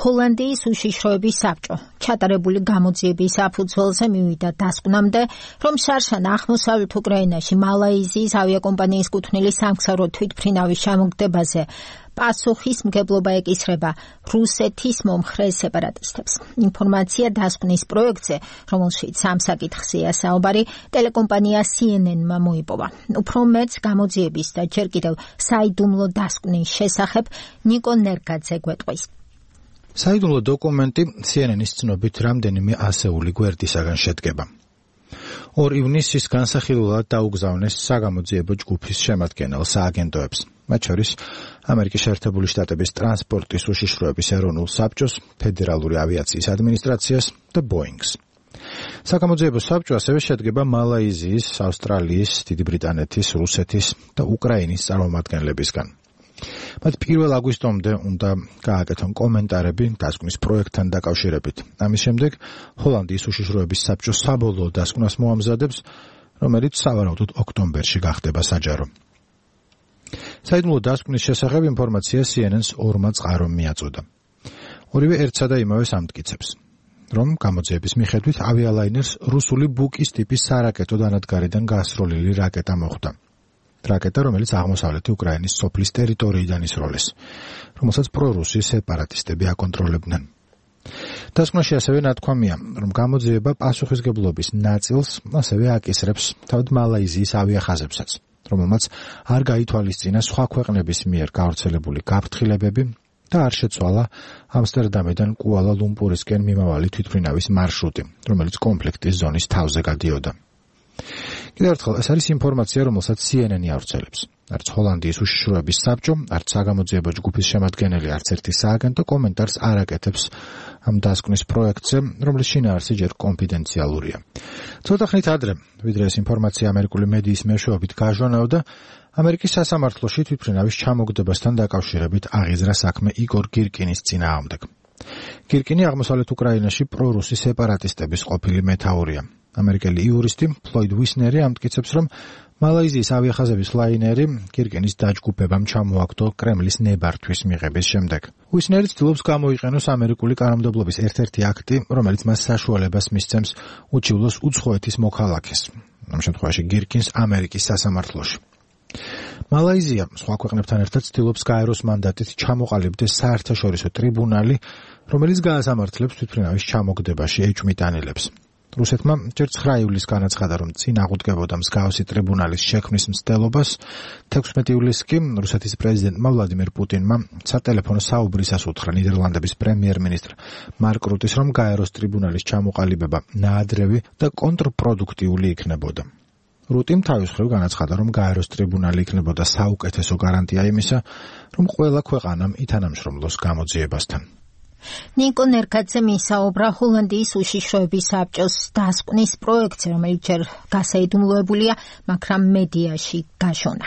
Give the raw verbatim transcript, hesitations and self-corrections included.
ჰოლანდიის უშიშროების საბჭო ჩატარებული გამოძიების საფუძველზე მივიდა დასკვნამდე, რომ შარშან აღმოსავლეთ უკრაინაში მალაიზიის ავიაკომპანიის კუთვნილი სამგზავრო თვითმფრინავის ჩამოგდებაზე პასუხისმგებლობა ეკისრება რუსეთის მომხრე სეპარატისტებს. ინფორმაცია დასკვნის პროექტზე, რომელშიც ამ საკითხზეა საუბარი, ტელეკომპანია C N N-მა მოიპოვა. უფრო მეტს გამოძიების და ჯერ კიდევ საიდუმლო დასკვნის შესახებ ნიკო ნერგაძე გვეტყვის. საიდუმლო დოკუმენტი C N N-ის ცნობით რამდენიმე ასეული გვერდისაგან შედგება. ორ ივნისის განსახილველად დაუგზავნეს საგამოძიებო ჯგუფის შემადგენელ სააგენტოებს, მათ შორის ამერიკის შეერთებული შტატების ტრანსპორტის უშიშროების ეროვნულ საბჭოს, ფედერალური ავიაციის ადმინისტრაციას და ბოინგს. საგამოძიებო საბჭო ასევე შედგება მალაიზიის, ავსტრალიის, დიდი ბრიტანეთის, რუსეთის და უკრაინის წარმომადგენლებისგან. მათ პირველ აგვისტომდე უნდა გააკეთონ კომენტარები დასკვნის პროექტთან დაკავშირებით. ამის შემდეგ ჰოლანდიის უშიშროების საბჭო საბოლოო დასკვნას მოამზადებს, რომელიც სავარაუდოდ ოქტომბერში გახდება საჯარო. საიდუმლო დასკვნის შესახებ ინფორმაცია C N N-ს ორმა წყარომ მიაწოდა. ორივე ერთსა და იმავეს ამტკიცებს, რომ გამოძიების მიხედვით ავიალაინერს რუსული ბუკის ტიპის სარაკეტო დანადგარიდან გასროლილი რაკეტა მოხვდა. რაკეტა, რომელიც აღმოსავლეთი უკრაინის სოფლის ტერიტორიიდან ისროლეს, რომელსაც პრორუსი სეპარატისტები აკონტროლებდნენ. დასკვნაში ასევე ნათქვამია, რომ გამოძიება პასუხისმგებლობის ნაწილს ასევე აკისრებს თავად მალაიზიის ავიახაზებსაც, რომელმაც არ გაითვალისწინა სხვა ქვეყნების მიერ გავრცელებული გაფრთხილებები და არ შეცვალა ამსტერდამიდან კუალა-ლუმპურისკენ მიმავალი თვითმფრინავის მარშრუტი, რომელიც კონფლიქტის ზონის თავზე გადიოდა. კიდევ ერთხელ, ეს არის ინფორმაცია, რომელსაც C N N-ი ავრცელებს. არც ჰოლანდიის უშიშროების საბჭო, არც საგამოძიებო ჯგუფის შემადგენელი, არც ერთი სააგენტო კომენტარს არ აკეთებს ამ დასკვნის პროექტზე, რომლის შინაარსი ჯერ კონფიდენციალურია. ცოტა ხნით ადრე, ვიდრე ეს ინფორმაცია ამერიკული მედიის მეშვეობით გაჟონავდა, ამერიკის სასამართლოში თვითმფრინავის ჩამოგდებასთან დაკავშირებით აღიზრა საქმე იგორ გირკინის წინააღმდეგ. გირკინი აღმოსავლეთ უკრაინაში პრორუსი სეპარატისტების ყოფილი მეთაურია. ამერიკელი იურისტი ფლოიდ ვისნერი ამტკიცებს, რომ მალაიზიის ავიახაზების ლაინერი გირკინის დაჯგუფებამ ჩამოაგდო კრემლის ნებართვის მიღების შემდეგ. ვისნერი ცდილობს გამოიყენოს ამერიკული კანონმდებლობის ერთ-ერთი აქტი, რომელიც მას საშუალებას მისცემს უჩივლოს უცხოეთის მოქალაქეს, ამ შემთხვევაში გირკინს ამერიკის სასამართლოში. მალაიზია სხვა ქვეყნებთან ერთად ცდილობს გაეროს მანდატით ჩამოყალიბდეს საერთაშორისო ტრიბუნალი, რომელიც გაასამართლებს თვითმფრინავის ჩამოგდებაში ეჭვმიტანილებს. რუსეთმა ჯერ ცხრა ივლისს განაცხადა, რომ წინ აღუდგებოდა მსგავსი ტრიბუნალის შექმნის მცდელობას. თექვსმეტი ივლისს კი რუსეთის პრეზიდენტმა ვლადიმერ პუტინმა სატელეფონო საუბრისას უთხრა ნიდერლანდების პრემიერ-მინისტრ მარკ რუტის, რომ გაეროს ტრიბუნალის ჩამოყალიბება ნაადრევი და კონტრპროდუქტიული იქნებოდა. რუტიმ თავის მხრივ განაცხადა, რომ გაეროს ტრიბუნალი იქნებოდა საუკეთესო გარანტია იმისა, რომ ყველა ქვეყანამ ითანამშრომლოს გამოძიებასთან. ნიკო ნერგაძე მისაუბრა ჰოლანდიის უშიშროების საბჭოს დასკვნის პროექტზე, რომელიც ჯერ გასაიდუმლოებულია, მაგრამ მედიაში გაშონა.